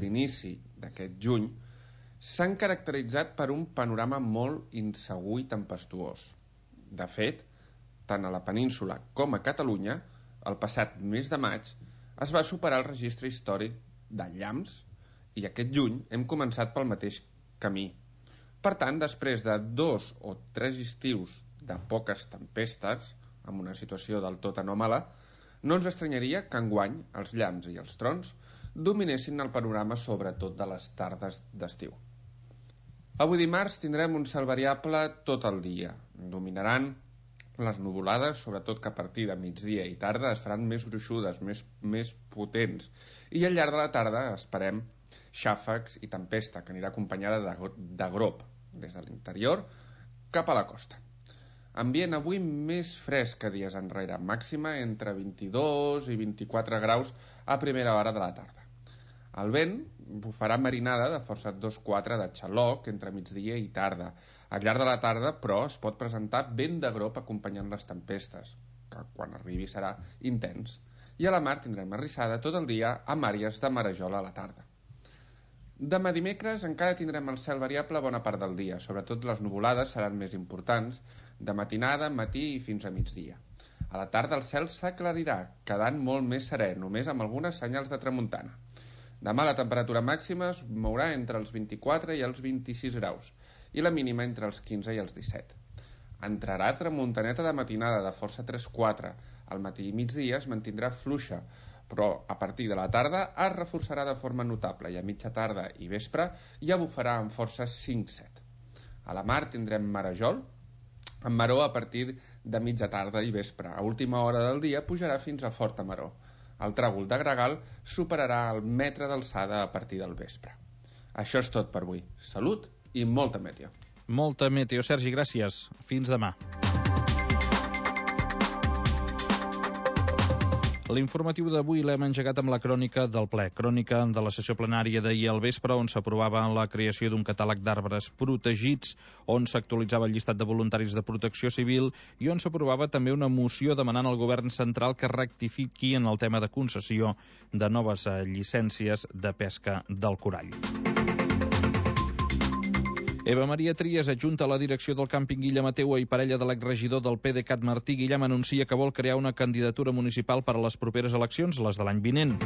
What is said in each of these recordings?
l'inici d'aquest juny s'han caracteritzat per un panorama molt insegur i tempestuós. De fet, tant a la península com a Catalunya, el passat mes de maig es va superar el registre històric de llamps i aquest juny hem començat pel mateix camí. Per tant, després de 2 o 3 estius de poques tempestes, amb una situació del tot anòmala, no ens estranyaria que enguany els llamps i els trons dominessin el panorama sobretot de les tardes d'estiu. Avui dimarts tindrem un cel variable tot el dia. Dominaran les nuvolades, sobretot que a partir de migdia i tarda es faran més gruixudes, més potents, i al llarg de la tarda esperem xàfecs i tempesta, que anirà acompanyada de grop des de l'interior cap a la costa. Ambient avui més fresc que dies enrere, màxima entre 22 i 24 graus a primera hora de la tarda. El vent bufarà marinada de força 2-4 de xaloc entre migdia i tarda. Al llarg de la tarda, però, es pot presentar vent de grop acompanyant les tempestes, que quan arribi serà intens. I a la mar tindrem arrissada tot el dia amb àrees de marejola a la tarda. Demà dimecres encara tindrem el cel variable bona part del dia, sobretot les nuvolades seran més importants, de matinada, matí i fins a migdia. A la tarda el cel s'aclarirà, quedant molt més serè, només amb algunes senyals de tramuntana. Demà la temperatura màxima es mourà entre els 24 i els 26 graus i la mínima entre els 15 i els 17. Entrarà tramuntaneta de matinada de força 3-4. Al matí i migdia es mantindrà fluixa, però a partir de la tarda es reforçarà de forma notable i a mitja tarda i vespre ja bufarà amb força 5-7. A la mar tindrem marejol, amb maró a partir de mitja tarda i vespre. A última hora del dia pujarà fins a forta maró. El tràgol de gregal superarà el metre d'alçada a partir del vespre. Això és tot per avui. Salut i molta meteo. Molta meteo, Sergi, gràcies. Fins demà. L'informatiu d'avui l'hem engegat amb la crònica del ple. Crònica de la sessió plenària d'ahir al vespre, on s'aprovava la creació d'un catàleg d'arbres protegits, on s'actualitzava el llistat de voluntaris de protecció civil i on s'aprovava també una moció demanant al govern central que rectifiqui en el tema de concessió de noves llicències de pesca del corall. Eva Maria Trias, adjunta a la direcció del càmping Guillem Ateua i parella de l'exregidor del PDeCAT Martí Guillem, anuncia que vol crear una candidatura municipal per a les properes eleccions, les de l'any vinent.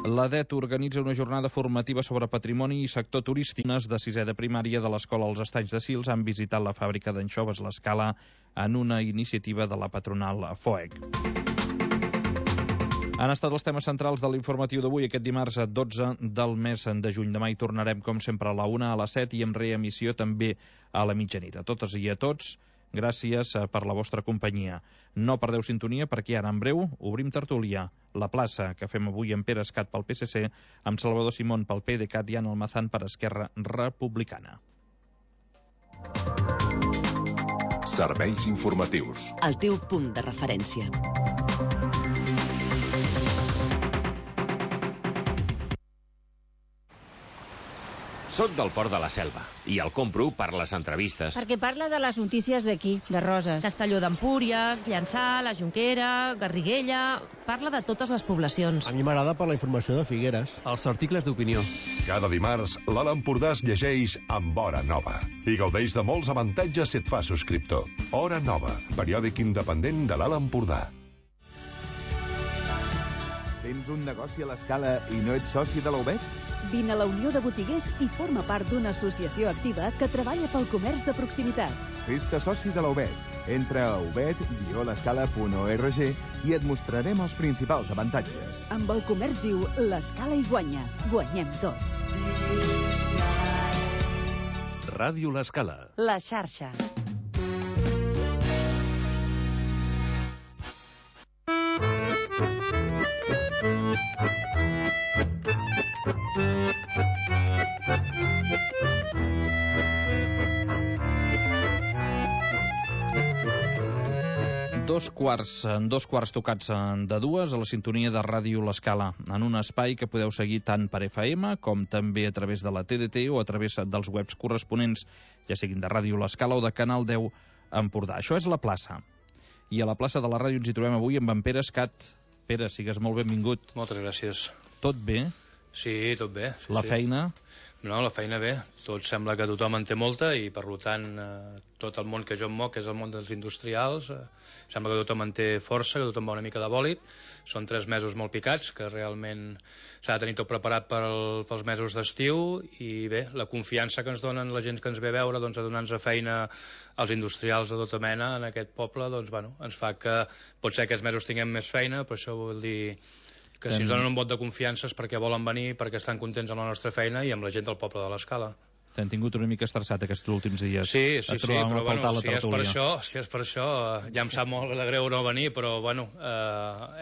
L'ADET organitza una jornada formativa sobre patrimoni i sector turístic. De 6è de primària de l'Escola als Estanys de Sils han visitat la fàbrica d'anxoves l'Escala en una iniciativa de la patronal FOEC. Han estat els temes centrals de l'informatiu d'avui, aquest dimarts 12 del mes de juny. Demà hi tornarem, com sempre, a la 1, a les 7 i amb reemissió també a la mitjanit. A totes i a tots, gràcies per la vostra companyia. No perdeu sintonia perquè ara, en breu, obrim tertúlia. La plaça que fem avui amb Pere Escat pel PSC, amb Salvador Simón pel PDeCAT i Ana Almazán per Esquerra Republicana. Serveis informatius. El teu punt de referència. Soc del Port de la Selva i el compro per les entrevistes. Perquè parla de les notícies d'aquí, de Roses. Castelló d'Empúries, Llançà, la Jonquera, Garriguella... Parla de totes les poblacions. A mi m'agrada per la informació de Figueres. Els articles d'opinió. Cada dimarts, l'Alt Empordà es llegeix amb Hora Nova i gaudeix de molts avantatges si et fa subscriptor. Hora Nova, periòdic independent de l'Alt Empordà. Tens un negoci a l'Escala i no ets soci de la UBEC? Vine a la Unió de Botiguers i forma part d'una associació activa que treballa pel comerç de proximitat. Fes-te soci de la UBEC. Entra a ubed-l'escala.org i et mostrarem els principals avantatges. Amb el comerç viu, l'Escala hi guanya. Guanyem tots. Ràdio L'Escala. La xarxa. Dos quarts tocats de dues a la sintonia de Ràdio L'Escala, en un espai que podeu seguir tant per FM com també a través de la TDT o a través dels webs corresponents, ja siguin de Ràdio L'Escala o de Canal 10 Empordà. Això és la plaça. I a la plaça de la ràdio ens hi trobem avui amb en Pere Escat. Pere, sigues molt benvingut. Moltes gràcies. Tot bé? Sí, tot bé. La feina? No, la feina bé. Tot sembla que tothom en té molta i, per tant, tot el món que jo em moc, que és el món dels industrials, sembla que tothom en té força, que tothom va una mica de bòlit. Són 3 mesos molt picats, que realment s'ha de tenir tot preparat pels mesos d'estiu i bé, la confiança que ens donen la gent que ens ve a veure, doncs, a donar-nos feina als industrials de tota mena en aquest poble, doncs, bueno, ens fa que potser aquests mesos tinguem més feina, però això vol dir que si ens donen un vot de confiança és perquè volen venir, perquè estan contents amb la nostra feina i amb la gent del poble de l'Escala. T'han tingut una mica estressat aquests últims dies. Sí, però bueno, si és per això, ja em sap molt de greu no venir, però bueno,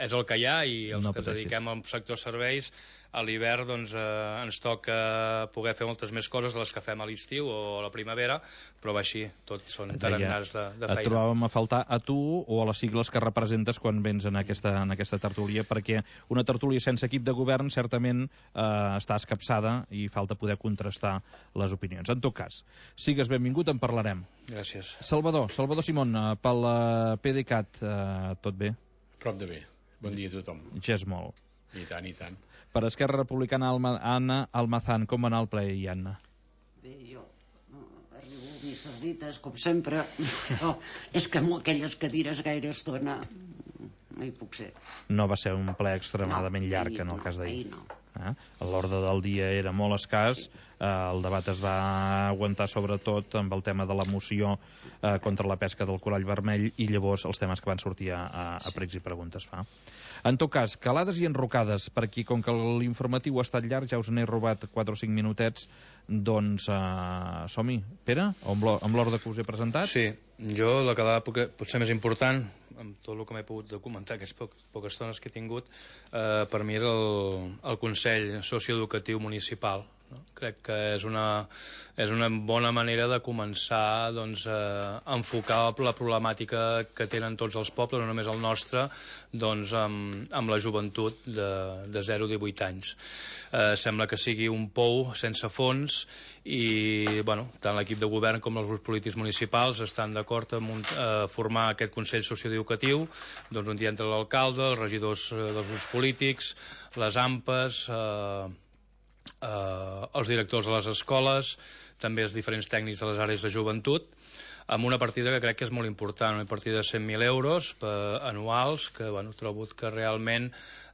és el que hi ha i els que ens dediquem al sector serveis, a l'hivern doncs, ens toca poder fer moltes més coses de les que fem a l'estiu o a la primavera, però va així, tots són tarannars de feina. Et trobàvem a faltar a tu o a les sigles que representes quan vens en aquesta tertúlia, perquè una tertúlia sense equip de govern certament està escapçada i falta poder contrastar les opinions. En tot cas, sigues benvingut, en parlarem. Gràcies. Salvador Simón, pel PDeCAT, tot bé? Prop de bé. Bon dia a tothom. Ja és molt. I tant, i tant. Per Esquerra Republicana, Anna Almazán, com va anar el ple, Anna? Bé, jo arribo a misses dites, com sempre, però és que amb aquelles cadires gaire estona no hi puc ser. No va ser un ple extremadament llarg, en el cas d'ahir. L'ordre del dia era molt escàs, el debat es va aguantar sobretot amb el tema de la moció contra la pesca del corall vermell i llavors els temes que van sortir a pregs i preguntes fa. En tot cas, calades i enrocades, perquè com que l'informatiu ha estat llarg, ja us n'he robat 4 o 5 minutets, doncs som-hi. Pere, amb l'ordre que us he presentat? Sí, jo la calada potser més important, amb tot el que m'he pogut documentar aquestes poques estones que he tingut, per mi és el Consell Socioeducatiu Municipal. Crec que és una bona manera de començar a enfocar la problemàtica que tenen tots els pobles, no només el nostre, amb la joventut de 0 a 18 anys. Sembla que sigui un pou sense fons i tant l'equip de govern com els grups polítics municipals estan d'acord en formar aquest Consell Socioeducatiu, un dia entre l'alcalde, els regidors dels grups polítics, les AMPAs, els directors de les escoles, també els diferents tècnics de les àrees de joventut, amb una partida que crec que és molt important, una partida de 100.000 euros anuals, que trobo que realment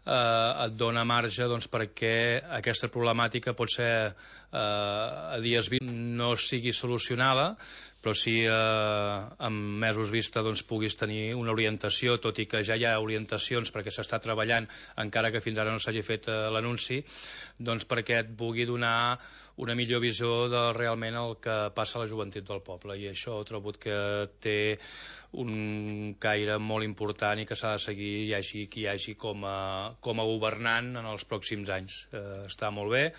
et dona marge perquè aquesta problemàtica pot ser a dies no sigui solucionada, però si en mesos vista puguis tenir una orientació, tot i que ja hi ha orientacions perquè s'està treballant, encara que fins ara no s'hagi fet l'anunci, perquè et pugui donar una millor visió de realment el que passa a la joventut del poble, i això he trobat que té un caire molt important i que s'ha de seguir, hi hagi qui hi hagi com a governant en els pròxims anys. Està molt bé,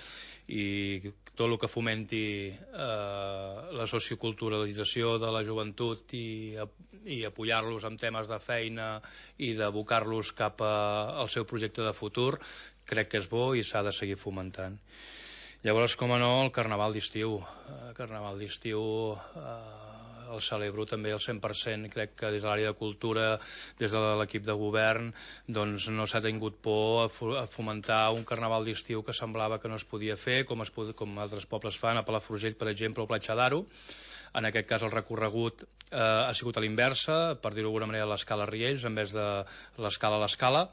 i tot el que fomenti la socioculturalització de la joventut i apoyar-los en temes de feina i d'abocar-los cap al seu projecte de futur, crec que és bo i s'ha de seguir fomentant. Llavors, com a no, el Carnaval d'estiu. El Carnaval d'estiu el celebro també al 100%. Crec que des de l'àrea de cultura, des de l'equip de govern, no s'ha tingut por a fomentar un Carnaval d'estiu que semblava que no es podia fer, com altres pobles fan, a Palafrugell, per exemple, o Platja d'Aro. En aquest cas el recorregut ha sigut a l'inversa, per dir-ho d'alguna manera, a l'escala Riells, en vez de l'escala a l'escala.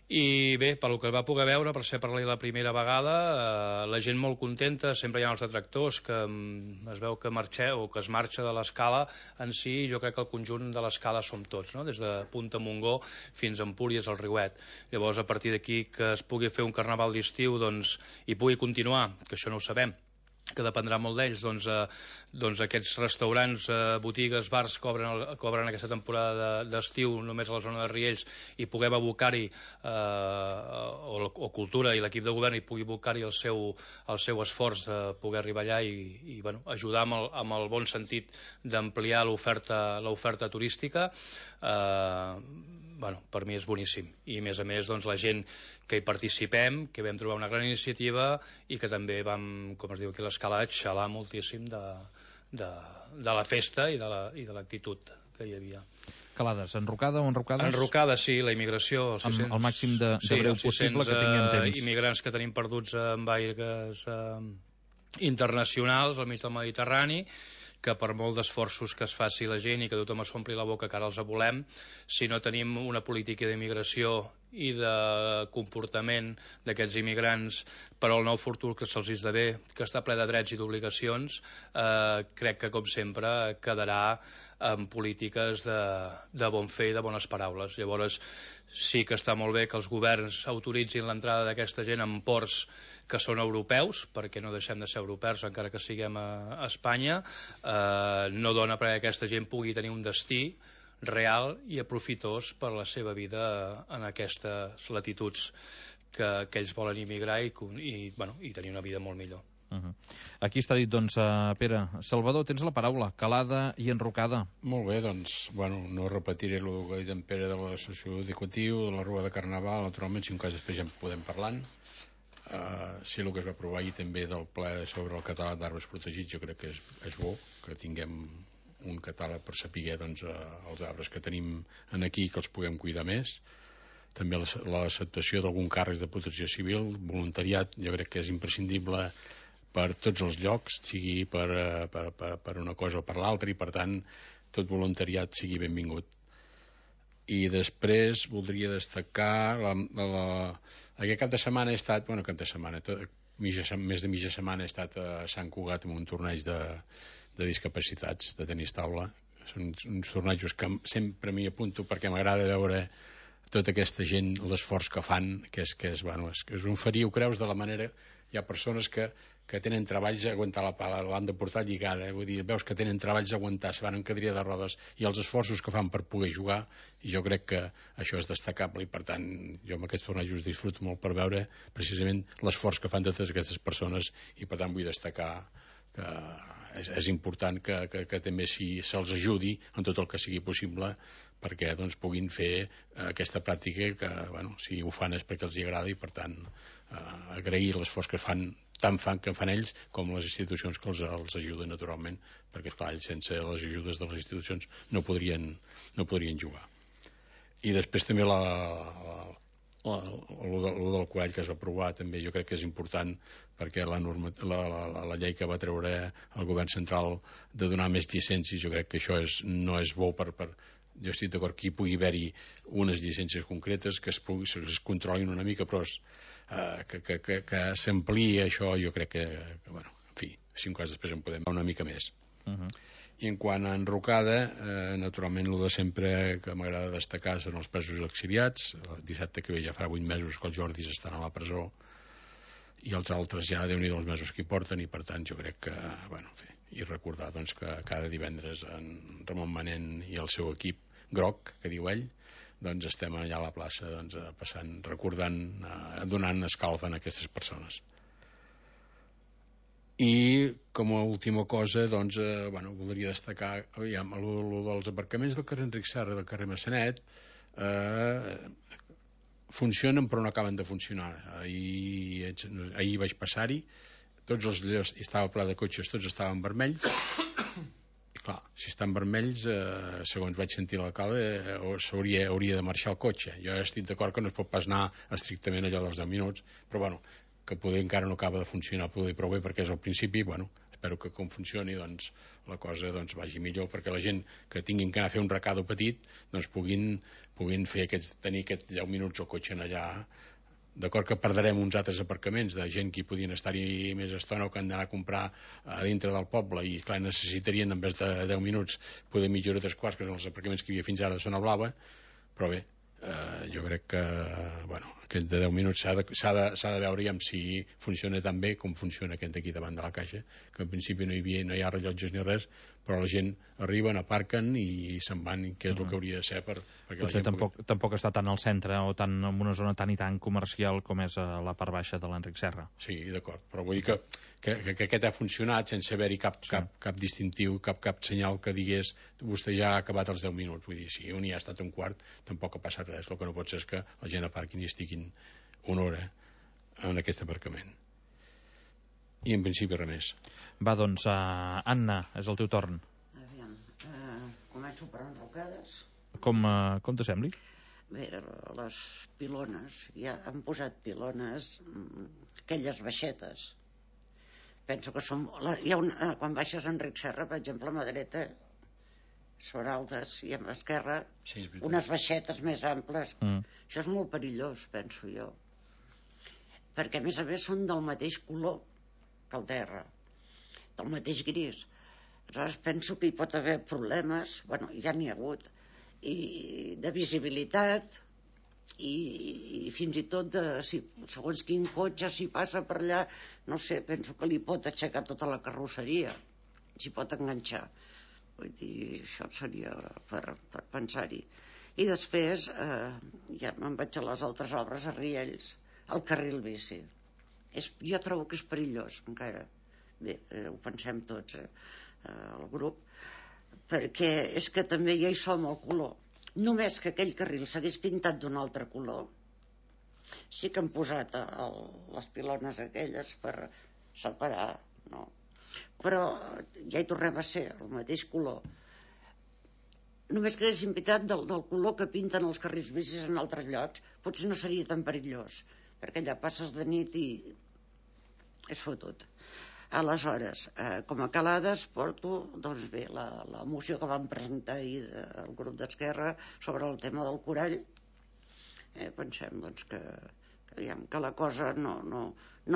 I bé, pel que va poder veure, per ser per la primera vegada, la gent molt contenta, sempre hi ha els detractors que es veu que es marxa de l'escala en si, jo crec que el conjunt de l'escala som tots, no? Des de Punta Montgó fins a Empúries, al Riuet. Llavors, a partir d'aquí que es pugui fer un carnaval d'estiu i pugui continuar, que això no ho sabem, que dependrà molt d'ells, aquests restaurants, botigues, bars cobren aquesta temporada d'estiu només a la zona de Riells i puguem abocar-hi, o cultura i l'equip de govern hi pugui abocar-hi el seu esforç de poder arribar allà i ajudar amb el bon sentit d'ampliar l'oferta turística. Per mi és boníssim, i a més la gent que hi participem, que vam trobar una gran iniciativa i que també vam, com es diu aquí a l'escala, xalar moltíssim de la festa i de l'actitud hi havia. Calades, enrocada o enrocades? Enrocada, sí, la immigració. Amb el màxim de breu possible, que tinguem temps. Immigrants que tenim perduts en aires internacionals al mig del Mediterrani, que per molt d'esforços que es faci la gent i que tothom es ompli la boca que ara els volem, si no tenim una política d'immigració i de comportament d'aquests immigrants per al nou futur que se'ls esdevé, que està ple de drets i d'obligacions, crec que, com sempre, quedarà en polítiques de bon fer i de bones paraules. Llavors, sí que està molt bé que els governs autoritzin l'entrada d'aquesta gent en ports que són europeus, perquè no deixem de ser europeus encara que siguem a Espanya. No dona perquè aquesta gent pugui tenir un destí real i aprofitós per la seva vida en aquestes latituds que ells volen immigrar i tenir una vida molt millor. Aquí està dit, doncs, Pere. Salvador, tens la paraula. Calada i enrocada. Molt bé, doncs, no repetiré el que ha dit en Pere de l'associació educatiu, de la Rua de Carnaval, naturalment, si un cas després ja en podem parlant. Sí, el que es va aprovar ahir també del ple sobre el catàleg d'arbres protegits, jo crec que és bo que tinguem un catàleg per saber doncs, els arbres que tenim aquí, que els puguem cuidar més. També l'acceptació d'algun càrrec de protecció civil, voluntariat, jo crec que és imprescindible per tots els llocs, sigui per una cosa o per l'altra, i per tant tot voluntariat sigui benvingut. I després voldria destacar aquest cap de setmana he estat, més de mitja setmana he estat a Sant Cugat en un torneig de discapacitats de tenis taula. Són uns tornejos que sempre m'hi apunto perquè m'agrada veure tota aquesta gent, l'esforç que fan, que és un ferir, ho creus, de la manera. Hi ha persones que tenen treballs a aguantar la pala, l'han de portar lligada, vull dir, veus que tenen treballs a aguantar, se van en cadira de rodes, i els esforços que fan per poder jugar, i jo crec que això és destacable, i per tant jo amb aquests tornejos disfruto molt per veure precisament l'esforç que fan totes aquestes persones, i per tant vull destacar que és important que també se'ls ajudi en tot el que sigui possible perquè doncs, puguin fer aquesta pràctica que si ho fan és perquè els hi agrada, i per tant agrair l'esforç que fan que fan ells com les institucions que els ajuden naturalment, perquè esclar, ells sense les ajudes de les institucions no podrien jugar. I després també el del corall que es va aprovar també jo crec que és important, perquè la llei que va treure el govern central de donar més llicències, jo crec que això no és bo jo estic d'acord que hi pugui haver-hi unes llicències concretes que es controlin una mica, però que s'ampliï això, jo crec que en fi, si un cas després en podem una mica més. I en quant a enrocada, naturalment el de sempre que m'agrada destacar són els presos exiliats. El dissabte que ve ja farà 8 mesos que els Jordis estan a la presó, i els altres ja Déu-n'hi-do els mesos que hi porten, i per tant jo crec que i recordar doncs, que cada divendres en Ramon Manent i el seu equip groc, que diu ell, doncs estem allà a la plaça passant, recordant, donant escalf a aquestes persones. I com a última cosa voldria destacar el dels aparcaments del carrer Enric Serra i del carrer Massanet. Funcionen però no acaben de funcionar. Ahir vaig passar-hi, tots els llocs estava ple de cotxes, tots estaven vermells, i clar, si estan vermells, segons vaig sentir l'alcalde, hauria de marxar el cotxe. Jo estic d'acord que no es pot pas anar estrictament allò dels 10 minuts, però que poder encara no acaba de funcionar prou bé perquè és al principi, espero que com funcioni la cosa vagi millor, perquè la gent que tinguin que anar a fer un recado petit puguin tenir aquests 10 minuts al cotxe allà. D'acord que perdrem uns altres aparcaments de gent que hi podien estar-hi més estona o que han d'anar a comprar a dintre del poble, i clar, necessitarien en vez de 10 minuts poder mitja hora 3 quarts, que són els aparcaments que hi havia fins ara de Zona Blava. Però bé, jo crec que aquest de 10 minuts s'ha de veure si funciona tan bé com funciona aquest aquí davant de la caixa, que en principi no hi ha rellotges ni res, però la gent arriben, aparquen i se'n van, que és el que hauria de ser perquè potser tampoc està tan al centre o en una zona tan i tan comercial com és a la part baixa de l'Enric Serra. Sí, d'acord, però vull dir que aquest ha funcionat sense haver-hi cap distintiu, cap senyal que digués vostè ja ha acabat els 10 minuts. Vull dir, si un hi ha estat un quart tampoc ha passat res. El que no pot ser és que la gent aparquin i estiguin una hora en aquest aparcament. I en principi res més. Va, doncs, Anna, és el teu torn. Com començo per enrocades. Com te sembli? Bé, les pilones, ja han posat pilones, aquelles baixetes. Penso que són... quan baixes a Enric Serra, per exemple, a mà dreta, són altes, i a mà esquerra, unes baixetes més amples. Això és molt perillós, penso jo. Perquè, a més, són del mateix color que el terra, del mateix gris. Aleshores, penso que hi pot haver problemes, bueno, ja n'hi ha hagut, i de visibilitat i fins i tot segons quin cotxe si passa per allà, no sé, penso que li pot aixecar tota la carrosseria, s'hi pot enganxar. Vull dir, això seria per pensar-hi. I després ja me'n vaig a les altres obres a Riells, el carril bici. Jo trobo que és perillós encara. Bé, ho pensem tots, el grup, perquè és que també ja hi som al color. Només que aquell carril s'hagués pintat d'un altre color, sí que han posat les pilones aquelles per separar, no? Però ja hi tornem a ser, el mateix color. Només que haguessin pintat del color que pinten els carrils bicis en altres llocs, potser no seria tan perillós, perquè allà passes de nit i és fotut. Aleshores, com a calades porto, doncs bé, la moció que vam presentar ahir del grup d'Esquerra sobre el tema del corall. Pensem doncs, que la cosa no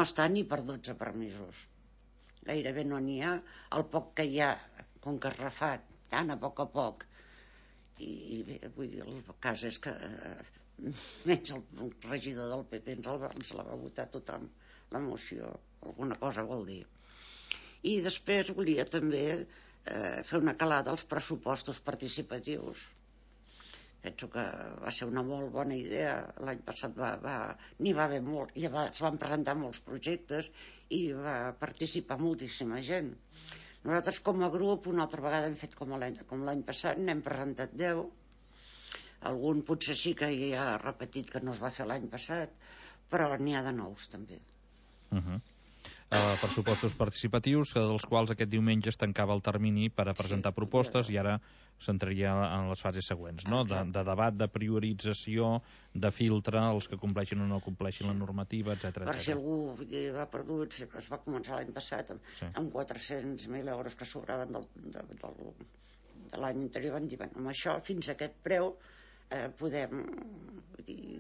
està ni per 12 permisos. Gairebé no n'hi ha. El poc que hi ha, com que es refà tan a poc, i bé, vull dir, el cas és que menys el regidor del PP ens la va votar tothom, la moció. Alguna cosa vol dir. I després volia també fer una calada als pressupostos participatius. Penso que va ser una molt bona idea. L'any passat n'hi va haver molt, i es van presentar molts projectes i va participar moltíssima gent. Nosaltres com a grup una altra vegada hem fet com l'any passat, n'hem presentat 10. Algun potser sí que ja ha repetit que no es va fer l'any passat, però n'hi ha de nous també. Pressupostos participatius, dels quals aquest diumenge es tancava el termini per a presentar propostes i ara s'entraria en les fases següents, no? De debat, de priorització, de filtre, els que compleixin o no compleixin la normativa, etc. Per si algú va perdut, es va començar l'any passat amb 400.000 euros que sobraven de l'any anterior, van dir, amb això fins a aquest preu podem,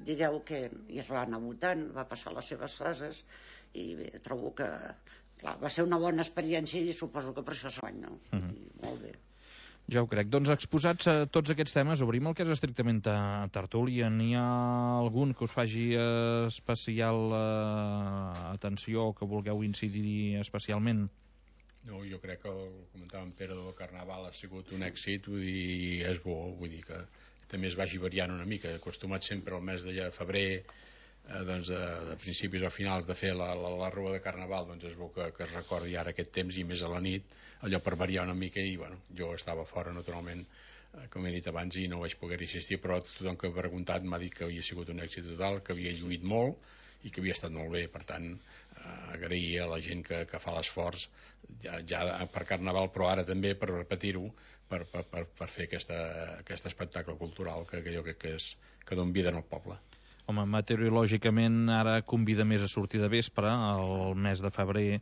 digueu que ja es va anar votant, va passar les seves fases i bé, trobo que clar, va ser una bona experiència i suposo que per això s'guany, no? Molt bé. Ja ho crec. Doncs exposats a tots aquests temes, obrim el que és estrictament tertúlia. N'hi ha algun que us faci especial atenció o que vulgueu incidir especialment? No, jo crec que el comentava en Pere del Carnaval ha sigut un èxit, vull dir, és bo, vull dir que també es vagi variant una mica, acostumat sempre al mes de febrer, doncs de principis o finals de fer la rua de Carnaval, doncs és bo que es recordi ara aquest temps i més a la nit, allò per variar una mica. I bueno, jo estava fora naturalment, com he dit abans, i no vaig poder assistir, però tothom que ha preguntat m'ha dit que havia sigut un èxit total, que havia lluït molt i que havia estat molt bé. Per tant, agrair a la gent que fa l'esforç ja per Carnaval, però ara també per repetir-ho, per fer aquest espectacle cultural que jo crec que dona vida en el poble. Home, meteorològicament ara convida més a sortir de vespre, el mes de febrer,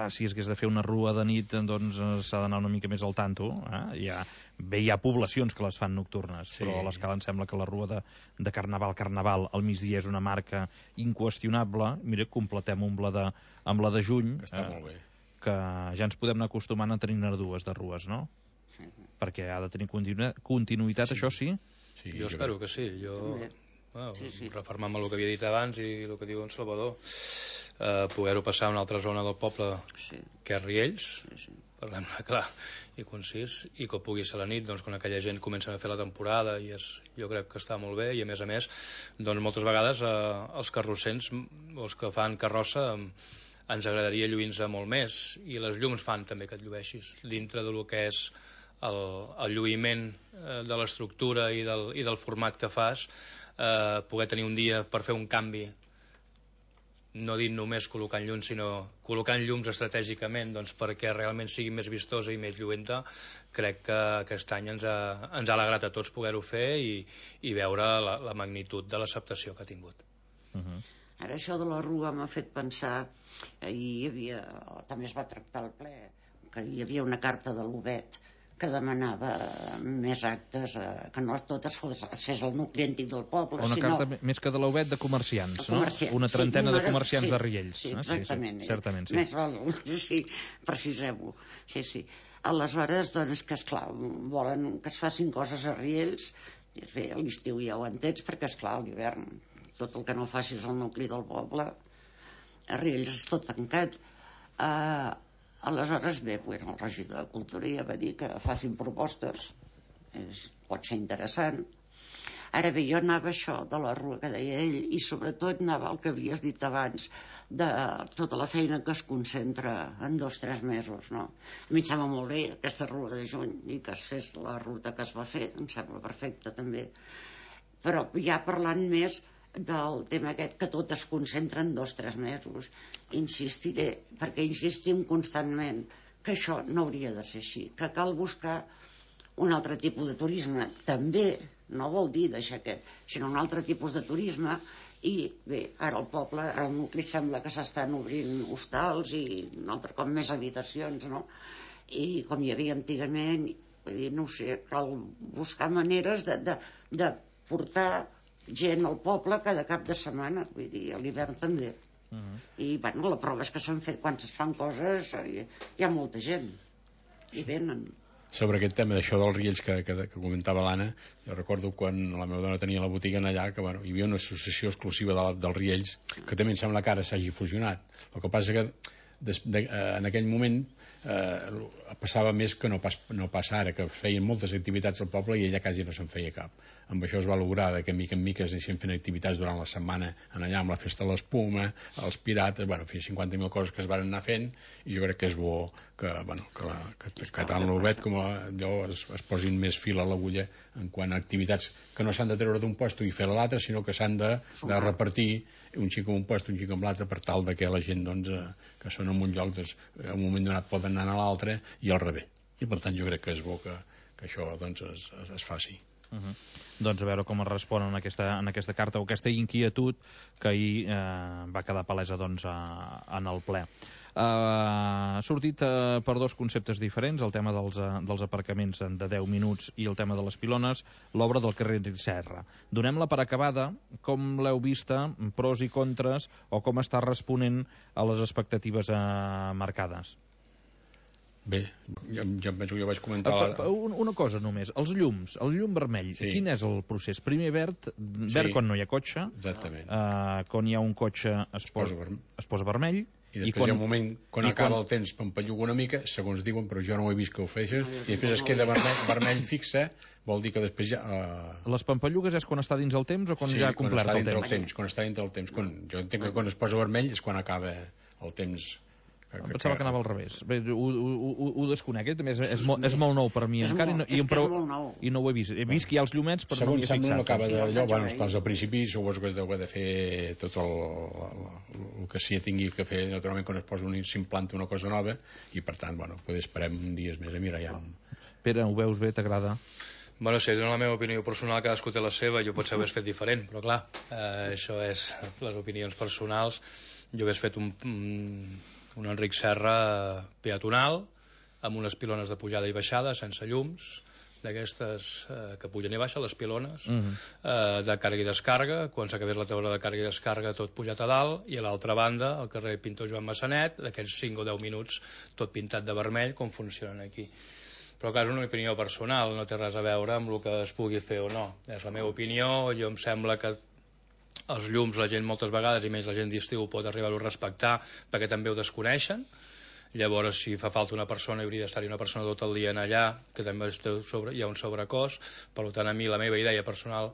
si es hagués de fer una rua de nit, doncs s'ha d'anar una mica més al tanto. Hi ha poblacions que les fan nocturnes, sí. Però a l'Escala em sembla que la rua de Carnaval al migdia és una marca inqüestionable. Mira, completem amb la de juny, que està molt bé, que ja ens podem anar acostumant a tenir dues de rues, no? Sí. Perquè ha de tenir continuïtat, sí. Això sí? Sí, jo espero que sí. Refermant amb el que havia dit abans i el que diu en Salvador, poder-ho passar a una altra zona del poble, que és Riells, parlem-ne clar i concís, i que pugui ser la nit, doncs, quan aquella gent comença a fer la temporada, i jo crec que està molt bé. I a més, doncs, moltes vegades els carrossers, els que fan carrossa, ens agradaria lluir-nos molt més, i les llums fan també que et llueixis dintre del que és el lluïment de l'estructura i del format que fas. Poder tenir un dia per fer un canvi no dit només col·locant llums, sinó col·locant llums estratègicament, doncs, perquè realment sigui més vistosa i més lluenta. Crec que aquest any ens ha alegrat a tots poder-ho fer i veure la magnitud de l'acceptació que ha tingut. Ara això de la rua m'ha fet pensar, ahir hi havia, també es va tractar al ple, que hi havia una carta de l'UBET que demanava més actes, que no tot es fes al nucli antic del poble. Una carta més que de l'UBET de comerciants, no? Una trentena de comerciants de Riells. Sí, exactament. Certament, sí. Més val, sí, precisem-ho. Sí. Aleshores, doncs, que esclar, volen que es facin coses a Riells. Bé, a l'estiu ja ho entens, perquè esclar, a l'hivern, tot el que no facis al nucli del poble, a Riells és tot tancat. Aleshores, bé, el regidor de Cultura ja va dir que facin propostes, pot ser interessant. Ara bé, jo anava això de la rua que deia ell, i sobretot anava el que havies dit abans, de tota la feina que es concentra en 2 o 3 mesos, no? A mi em sembla molt bé aquesta rua de juny i que es fes la ruta que es va fer, em sembla perfecte també. Però ja parlant més del tema aquest, que tot es concentra en 2 o 3 mesos, insistiré, perquè insistim constantment que això no hauria de ser així, que cal buscar un altre tipus de turisme, també no vol dir deixar aquest, sinó un altre tipus de turisme. I bé, ara el poble, ara el nucli sembla que s'estan obrint hostals i un altre cop més habitacions, no? I com hi havia antigament, vull dir, no ho sé, cal buscar maneres de portar gent al poble cada cap de setmana, vull dir, a l'hivern també. I bueno, la prova és que s'han fet, quan es fan coses hi ha molta gent i venen. Sobre aquest tema d'això dels Riells que comentava l'Anna, jo recordo quan la meva dona tenia la botiga allà, que bueno, hi havia una associació exclusiva dels Riells, que també em sembla que ara s'hagi fusionat. El que passa que en aquell moment passava més que no passa ara, que feien moltes activitats al poble i ella quasi no se'n feia cap. Amb això es va lograr que mica en mica es deixen fent activitats durant la setmana allà amb la festa de l'espuma, els pirates, bueno, 50.000 coses que es van anar fent, i jo crec que és bo que tant l'UBET com allò es posin més fil a l'agulla en quant a activitats que no s'han de treure d'un lloc i fer a l'altre, sinó que s'han de repartir un xic en un lloc, un xic en l'altre, per tal que la gent que són en un lloc en un moment donat poden anar a l'altre i al revés. I per tant jo crec que és bo que això es faci. Doncs a veure com es respon en aquesta carta o aquesta inquietud que ahir va quedar palesa en el ple. Ha sortit per 2 conceptes diferents, el tema dels aparcaments de 10 minuts i el tema de les pilones, l'obra del carrer Serra. Donem-la per acabada, com l'heu vista, pros i contres, o com està responent a les expectatives marcades? Bé, jo penso que jo vaig comentar... Una cosa només, els llums, el llum vermell, quin és el procés? Primer verd quan no hi ha cotxe, quan hi ha un cotxe es posa vermell, i després hi ha un moment, quan acaba el temps, pampalluga una mica, segons diuen, però jo no ho he vist que ho feixes, i després es queda vermell fixa, vol dir que després ja... Les pampallugues és quan està dins el temps o quan ja ha complert el temps? Quan està dintre el temps. Jo entenc que quan es posa vermell és quan acaba el temps... Em pensava que anava al revés. Bé, ho desconec, és molt nou per mi encara i no ho he vist. He vist que hi ha els llumets però no m'hi he fixat. Segons sembla no acaba d'allò, al principi suposo que es deu de fer tot el que s'hi tingui que fer, naturalment quan es posa s'implanta una cosa nova i per tant, potser esperem dies més a mirar ja. Pere, ho veus bé, t'agrada? Bueno, si dona la meva opinió personal, cadascú té la seva, jo potser ho hagués fet diferent, però clar, això és les opinions personals. Jo hagués fet un Enric Serra peatonal, amb unes pilones de pujada i baixada, sense llums, d'aquestes que pugen i baixen, les pilones, de càrrega i descàrrega, quan s'acabés la taula de càrrega i descàrrega tot pujat a dalt, i a l'altra banda, al carrer Pintor Joan Massanet, d'aquests 5 o 10 minuts, tot pintat de vermell, com funcionen aquí. Però clar, és una opinió personal, no té res a veure amb el que es pugui fer o no. És la meva opinió, jo em sembla que els llums la gent moltes vegades, i més la gent d'estiu, pot arribar-ho a respectar perquè també ho desconeixen. Llavors, si fa falta una persona, hauria d'estar-hi una persona tot el dia en allà, que també hi ha un sobrecost. Per tant, a mi la meva idea personal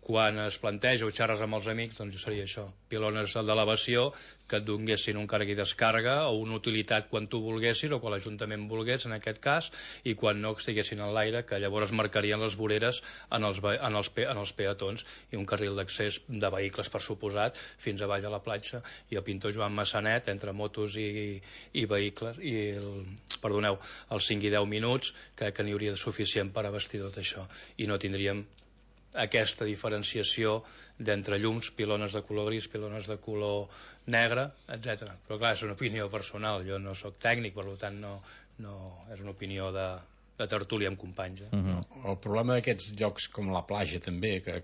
quan es planteja o xerres amb els amics, doncs seria això, pilones d'elevació que et donguessin un càrrega i descàrrega o una utilitat quan tu volguessis o quan l'Ajuntament volgués en aquest cas, i quan no estiguessin en l'aire, que llavors marcarien les voreres en els peatons, i un carril d'accés de vehicles, per suposat, fins a baix a la platja, i el pintor Joan Massanet, entre motos i vehicles, i els 5 i 10 minuts, que n'hi hauria de suficient per abastir tot això, i no tindríem aquesta diferenciació d'entre llums, pilones de color gris, pilones de color negre, etc. Però clar, és una opinió personal, jo no sóc tècnic, per tant no és una opinió de tertúlia amb companys. El problema d'aquests llocs com la platja també, que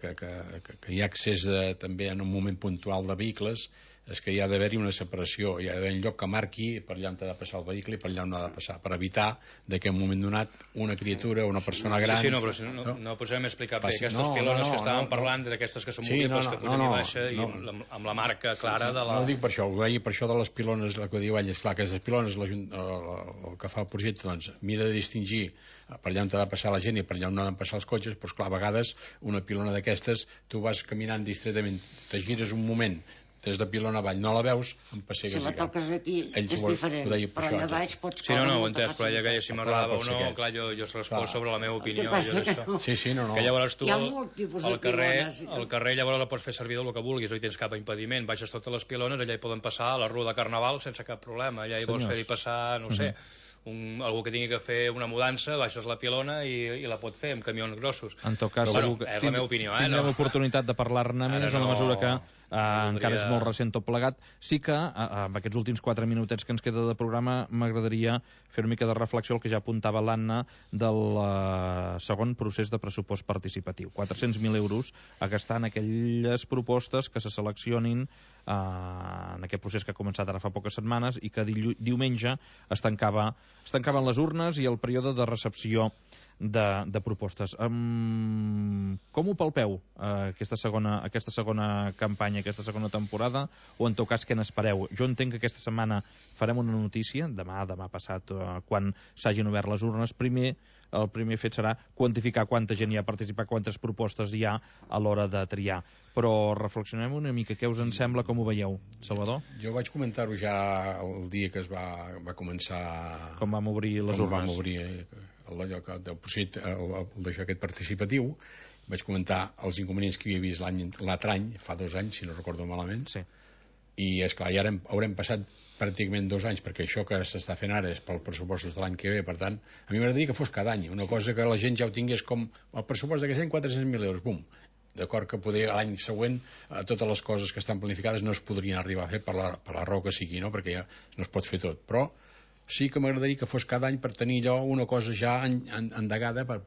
hi ha accés també en un moment puntual de vehicles, és que hi ha d'haver-hi una separació, hi ha d'haver un lloc que marqui per allà on ha de passar el vehicle i per allà on ha de passar, per evitar que en un moment donat una criatura o una persona gran... Sí, però no podem explicar bé. Aquestes pilones que estàvem parlant, d'aquestes que són movibles, que pugen i baixa, i amb la marca clara de la... No dic per això, ho deia per això de les pilones, el que diu ell, és clar que aquestes pilones, el que fa el projecte, doncs, mira de distingir per allà on ha de passar la gent i per allà on ha de passar els cotxes, però clar, a vegades una pilona d'aquestes, tu vas caminant distretament, te gires un moment, des de pilona avall no la veus, em pessegues. Si la toques aquí és diferent, però allà baix pots... Sí, no, ho he entès, però ella que si m'agradava o no, clar, jo responc sobre la meva opinió. Que llavors tu al carrer llavors la pots fer servir del que vulguis, no hi tens cap impediment, baixes totes les pilones, allà hi poden passar a la Rua de Carnaval sense cap problema, allà hi vols fer-hi passar, no sé, algú que tingui que fer una mudança, baixes la pilona i la pot fer amb camions grossos. En tot cas, és la meva opinió. Tindrem oportunitat de parlar-ne més en la mesura que encara és molt recent tot plegat. Sí que amb aquests últims 4 minutets que ens queda de programa m'agradaria fer una mica de reflexió al que ja apuntava l'Anna del segon procés de pressupost participatiu. 400.000 euros a gastar en aquelles propostes que se seleccionin en aquest procés que ha començat ara fa poques setmanes i que diumenge es tancaven les urnes i el període de recepció de propostes. Com ho palpeu, aquesta segona campanya, aquesta segona temporada, o en tot cas què n'espereu? Jo entenc que aquesta setmana farem una notícia, demà passat, quan s'hagin obert les urnes. El primer fet serà quantificar quanta gent hi ha participat, quantes propostes hi ha a l'hora de triar. Però reflexionem una mica, què us en sembla, com ho veieu? Salvador? Jo vaig comentar-ho ja el dia que es va començar... Com vam obrir les urnes. Com vam obrir del projecte, aquest participatiu. Vaig comentar els inconvenients que havia vist l'altre any, fa 2 anys, si no recordo malament. Sí. I, esclar, ja haurem passat pràcticament 2 anys, perquè això que s'està fent ara és pel pressupostos de l'any que ve, per tant, a mi m'agradaria que fos cada any, una cosa que la gent ja ho tingués com el pressupost d'aquest any, 400.000 euros, bum. D'acord que poder l'any següent totes les coses que estan planificades no es podrien arribar a fer per la raó que sigui, no? Perquè ja no es pot fer tot, però sí que m'agradaria que fos cada any per tenir allò una cosa ja endegada per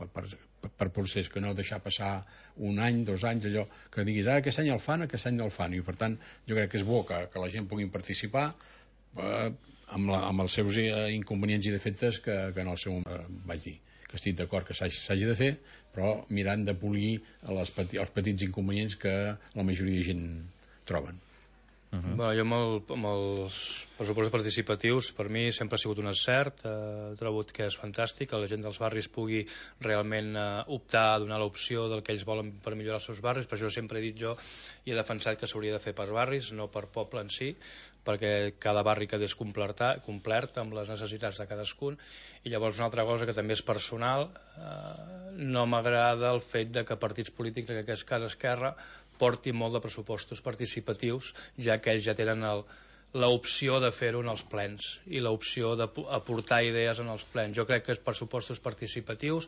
procés, que no deixar passar 1 any, 2 anys, allò que diguis, aquest any el fan, aquest any no el fan, i per tant jo crec que és bo que la gent pugui participar amb els seus inconvenients i defectes que en el seu vaig dir que estic d'acord que s'hagi de fer, però mirant de polir els petits inconvenients que la majoria de gent troben. Jo amb els pressupostos participatius, per mi sempre ha sigut un encert, he trobat que és fantàstic que la gent dels barris pugui realment optar a donar l'opció del que ells volen per millorar els seus barris. Per això sempre he dit jo i he defensat que s'hauria de fer per barris, no per poble en si, perquè cada barri quedés complert amb les necessitats de cadascun. I llavors una altra cosa que també és personal, no m'agrada el fet de que partits polítics, en aquest cas Esquerra, porti molt de pressupostos participatius, ja que ells ja tenen l'opció de fer-ho en els plens i l'opció d'aportar idees en els plens. Jo crec que els pressupostos participatius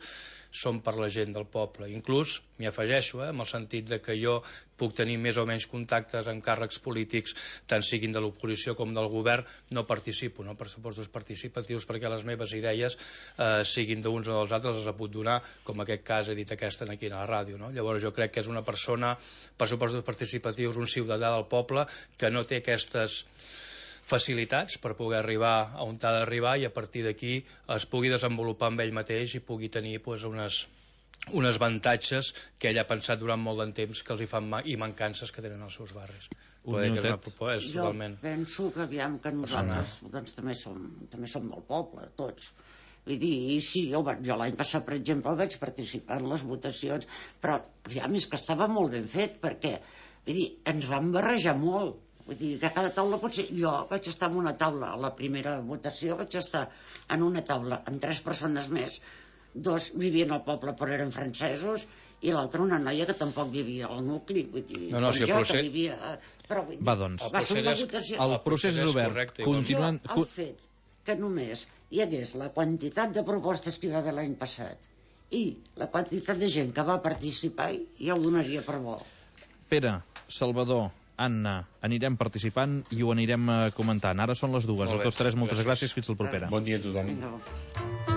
són per la gent del poble. Inclús m'hi afegeixo, en el sentit de que jo puc tenir més o menys contactes amb càrrecs polítics, tant siguin de l'oposició com del govern, no participo en pressupostos participatius perquè les meves idees, siguin d'uns o dels altres, les he pogut donar, com en aquest cas he dit aquesta aquí a la ràdio. Llavors jo crec que és una persona, pressupostos participatius, un ciutadà del poble que no té aquestes facilitats per poder arribar a on ha d'arribar i a partir d'aquí es pugui desenvolupar amb ell mateix i pugui tenir unes avantatges que ell ha pensat durant molt de temps que els hi fan i mancances que tenen els seus barris. Jo penso que aviam que nosaltres també som del poble, tots, Vull dir, sí, jo l'any passat, per exemple, vaig participar en les votacions, però ja més que estava molt ben fet, perquè vull dir, ens van barrejar molt. Vull dir, que a cada taula potser... Jo vaig estar en una taula, a la primera votació vaig estar en una taula amb 3 persones més, 2 vivien al poble però eren francesos, i l'altra una noia que tampoc vivia al nucli, vull dir, que vivia... Però, vull dir, va, doncs, el procés és obert. Continuant... El fet que només hi hagués la quantitat de propostes que hi va haver l'any passat i la quantitat de gent que va participar, ja ho donaria per bo. Pere, Salvador, Anna, anirem participant i ho anirem comentant. Ara són les 2. A tots 3, moltes gràcies. Fins la propera. Bon dia a tothom.